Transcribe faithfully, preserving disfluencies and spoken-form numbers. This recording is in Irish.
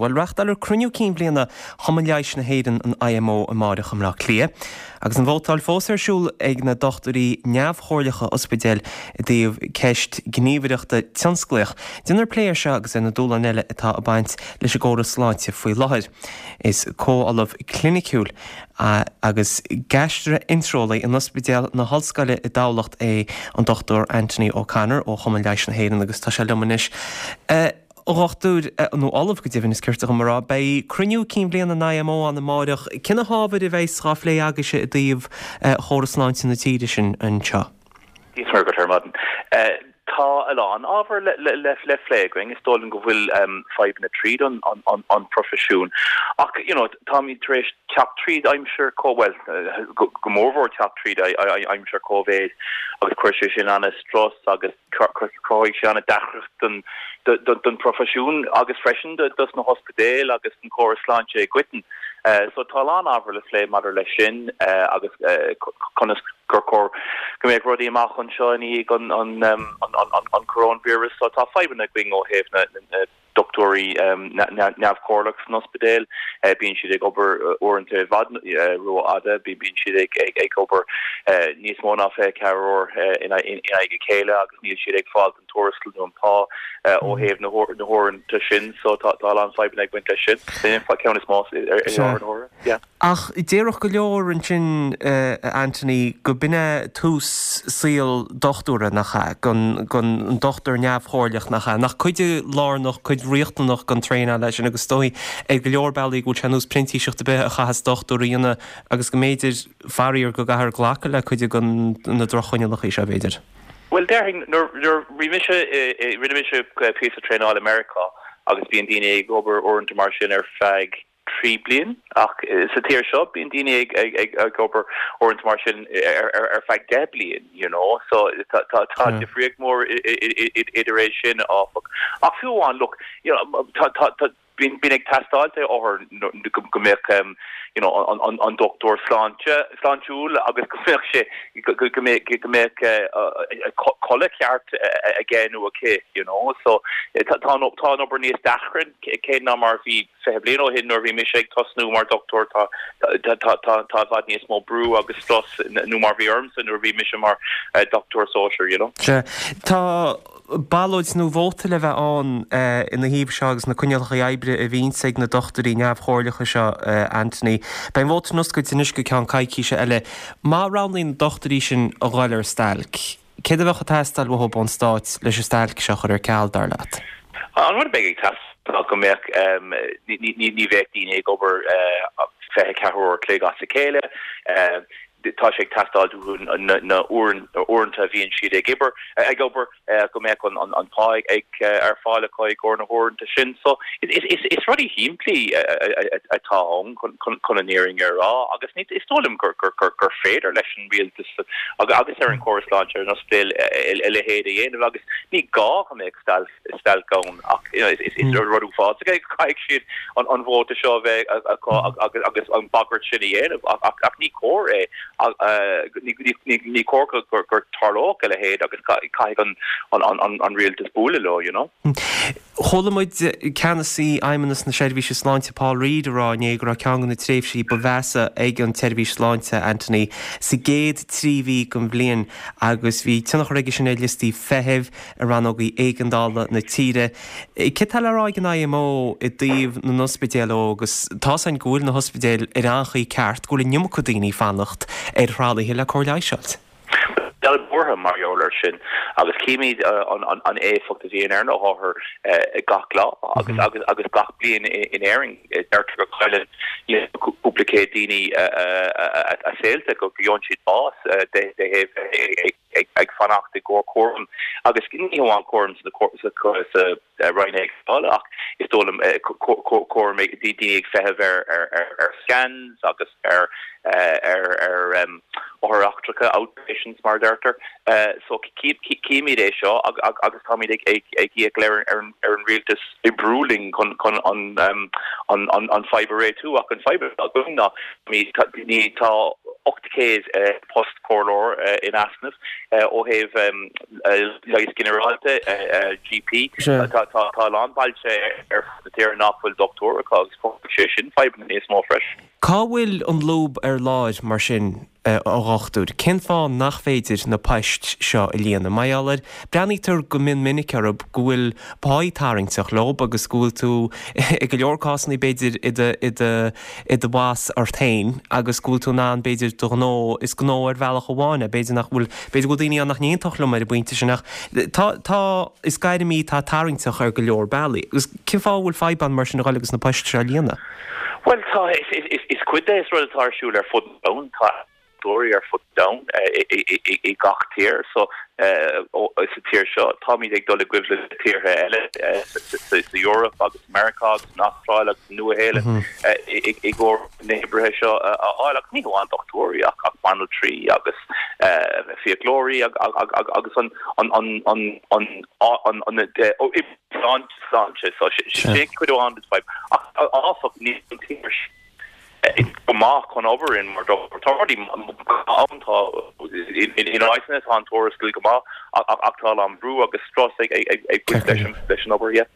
Bhuel, reáchtáiltear cruinniú cinn bhliana Chumann Leighis na hÉireann, an I M O, amáireach i mBleá Cliath. Agus an vótáil fós ar siúl ag na dochtúirí neamhchomhairleacha ospidéil i dtaobh ceist gníomhaireachta tionsclaíoch. Déanfar plé air seo agus ar na dúshláin eile atá ag baint leis an gcóras sláinte faoi láthair. Is comh-ollamh cliniciúil agus gaistrea-eintreolaí in Ospidéal na hOllscoile i dTamhlacht é an Dochtúir Anthony O'Connor ó Chumann Leighis na hÉireann agus tá sé liom anois. Uh, Dhochtúir, nó ollamh go deimhin is cirte go mará, beidh cruinniú cinn bhliana an I M O ann amáireach, cé na hábhair a bheas á phlé agaibhse i dtaobh chóras sláinte na tíre sin anseo. Díos go ar maidin. Tá a lán ábhar le, le, le, le plé againn. Is dóigh go bhfuil um, fadhbanna tríd an, an, an, an profisiún. Ach you know, táimid tar éis teacht tríd aimsir có well go, go mórmhór teacht tríd aimsir Covid agus chuir sé sin an-strus agus chruthaigh sé an-deacracht don don profisiún agus freisin dos na hospidéil agus an córas sláinte i gcoitinne. Uh, so tá an ábhar le plé maidir leis sin uh, agus uh, conas gur chóir go mbeadh rudaí amach anseo ní an an, um, an, an, an, an coronavirus. So tá fadhbanna againn ó thaobh na, na, na dochtúirí um, neamhchomhairleach san ospidéal, uh, bíonn siad ag obair uaireanta i bhfad uh, rófhada, bíonn siad ag, ag, ag obair uh, níos mó ná fiche ceathair uair uh, in aghaidh a chéile agus níl siad ag fáil an tuarastal nó an pá uh, ó thaobh na huaireanta sin. So tá tá an fadhbanna ag baint leis sin, ceann is mó ar. Ach déarfadh go leor ansin, uh, Anthony, go b'in é tús saol dochtúra, nach ea, gon gon an dochtúir neamhchomhairleach, nach ea, nach cuid lárnach, cuid riachtanach den traenáil leis sin, agus dóigh ag go leor bealaí go bhfuil sé nós printíseacht a bheith a chaitheas dochtúir a dhéanamh agus go mb'fhéidir faraor go gcaithfear glacadh le cuid den na drochchoinníollacha seo, b'fhéidir. Well, déarfainn nuair mise rinne mise píosa traenáil i Meiriceá agus bíonn daoine ag obair uaireanta mar sin ar feadh trí bliain, ach sa tír seo bíonn daoine ag ag ag ag obair uaireanta mar sin ar ar ar feadh deich bliain you know so tá tá tá difríocht mór idir é sin, áfach. Ach fiú amháin, look, you know tá tá tá bíonn bíonn ag teastáil ó go mbeadh um, you know an, an, an dochtúir sláinte sláintiúil agus go mbeadh sé go go mbeadh codladh ceart aige nó aici you know so tá tá obair níos deacra cé ná mar bhí fiche bliain ó shin nuair bhí mise ag tosnú mar dochtúir. tá tá tá tá bhfad níos mó brú agus strus nó mar bhí ormsa nuair bhí mise mar dochtúir sóisear you know Tá ballóid nó vóta le bheith ann ina thaobh seo agus na coinníollacha oibre a bhíonns ag na dochtúirí neamhchomhairleacha seo, Anthony. Beidh an vóta ar oscailt anois go ceann coicíse eile. Má roghnaíonn na dochtúirí sin a dhul ar stailc, céard a bheadh ag teastáil uathu ón stát leis an stailc seo chur ar ceal, dar leat? An rud a bheadh ag teastáil go mbeadh ní bheadh daoine ag obair fiche ceathair uair an chloig as a chéile. Tá sé ag teastáil na uaireanta a bhíonn siad ag obair ag obair go mbeadh an an pá ag ar fáil acu i gcomhair na huaireanta sin. So is is is rudaí simplí atá ann chun an fhírinne a rá agus ní is dóigh liom gur gur gur gur féidir leis an rialtas agus agus ar an chóras sláinte ar an ospidéal a leithéid a dhéanamh agus ní gá go mbeadh stailc stailc ann, ach is is rud uafásach é caithfidh siad an an vóta seo bheith agus agus an bagairt sin a dhéanamh, ach ach ní cóir é, ní cóir gur gur tarlódh a leithéid agus caithfidh an an an an rialtas bualadh leo you know. Chuala muid ceannasaí Fheidhmeannas na Seirbhíse Sláinte, Paul Reid, a rá inné go raibh ceann de na tréimhsí ba mheasa ag an tseirbhís sláinte, Anthony, sa gcéad trí mhí den bhliain agus bhí tionchar aige sin ar liostaí feithimh i rannógaí éigeandála na tíre. Cé tá le rá ag an I M O i dtaobh na n-ospidéal agus tá an go bhfuil na hospidéil ar an chaoi ceart, go bhfuil an iomarca daoine fanacht ar thralaithe le cóir leighis? Buartha mar gheall air sin agus címid an, an, an éifeacht a bhíonn ar na hothair gach lá agus agus agus gach bliain in Éirinn. Deirtear go gcailleann cúpla céad daoine a saolta, go bhfaigheann siad bás de de ag ag fanacht i gcomhair cúram, agus ní hamháin cúram sa roinn éigeandála ach is dóigh liom cúram daoine ag feitheamh ar ar ar ar scans agus ar ar ar um, othair eachtracha, outpatients mar deirtear. So címid é seo agus táimid ag ag ar ar an rialtas oibriú linn chun chun an an an an fadhb a réitiú ach an fadhb againn ná ní tá ocht céad post comhairleoir in easnamh ó thaobh leighis ginearálta G P tá tá tá lán bailte ar na tíre nach bhfuil dochtúir agus sé sin fadhb níos mó freisin. Cá bhfuil an lúb ar lár mar sin a dhochtúir? Cén fáth nach féidir na poist seo a líonadh? Mar gheall air breathnaítear go mion minic orthu go bhfuil pá tarraingteach leo agus go bhfuil tú i go leor cásanna b'fhéidir i do i do i do bhoss ort féin agus go bhfuil tú in ann b'fhéidir do ghnó is gnó ar bhealach amháin é b'fhéidir nach bhfuil b'fhéidir go bhfuil daoine ann nach n-aontódh liom ar an bpointe sin ach tá tá is gairm í atá tarraingteach ar go leor bealaí. Agus cén fáth bhfuil fadhb ann mar sin a ghoil agus na poist seo a líonadh? Well tá is, is, is cuid de is rud atá ar siúl ar fud an tá ar fud domhan i gach tír so sa tír seo táimid ag dul i gcoimhlint le tíortha eile sa Eoraip agus Meiriceá agus an Astráil agus Nua-Shéalainn i gcomhair na hoibrithe seo a fháil ach ní hamháin dochtúirí ach ach banaltraí agus fiaclóirí agus an an an an an an an sláinte so sé cuid amháin den ach áfach ní an tír go maith chun obair in mar tá an tá in áiteanna tá an tuarastal go maith ach tá an brú agus strus ag ag leis an obair.